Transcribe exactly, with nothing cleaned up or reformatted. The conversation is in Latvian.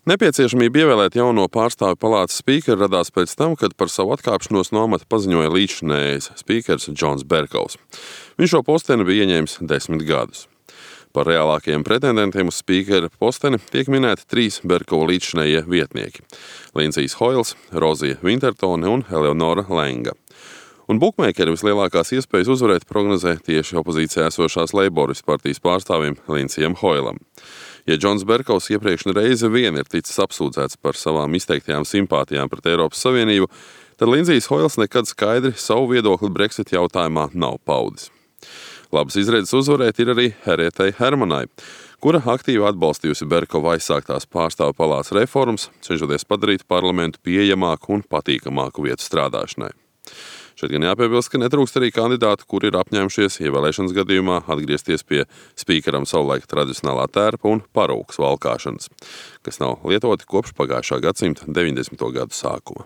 Nepieciešamība ievēlēt jauno pārstāvju palātas spīkeru radās pēc tam, kad par savu atkāpšanos no amata paziņoja līdzšinējais spīkers Džons Berkovs. Viņš šo posteni bija ieņēmis desmit gadus. Par reālākajiem pretendentiem uz spīkera posteni tiek minēti trīs Berkova līdzšinējie vietnieki – Lindsijs Hoils, Rozija Vintertone un Eleonora Lenga. Un bukmeikeri vislielākās iespējas uzvarēt prognozē tieši opozīcijā esošās Leiboristu partijas pārstāvim Lindsijam Hoilam. Ja Džons Berkovs iepriekš reizi vien ir ticis apsūdzēts par savām izteiktajām simpātijām pret Eiropas Savienību, tad Lindsijs Hoils nekad skaidri savu viedokli Brexit jautājumā nav paudis. Labas izredzes uzvarēt ir arī Harietei Hermanai, kura aktīvi atbalstījusi Berkova aizsāktās pārstāvju palātas reformas, cenšoties padarīt parlamentu pieejamāku un patīkamāku vietu strādāšanai. Šeit gan jāpiebilst, ka netrūkst arī kandidātu, kuri ir apņēmušies ievēlēšanas gadījumā atgriezties pie spīkeram savulaik tradicionālā tērpa un parūkas valkāšanas, kas nav lietoti kopš pagājušā gadsimta deviņdesmito gadu sākuma.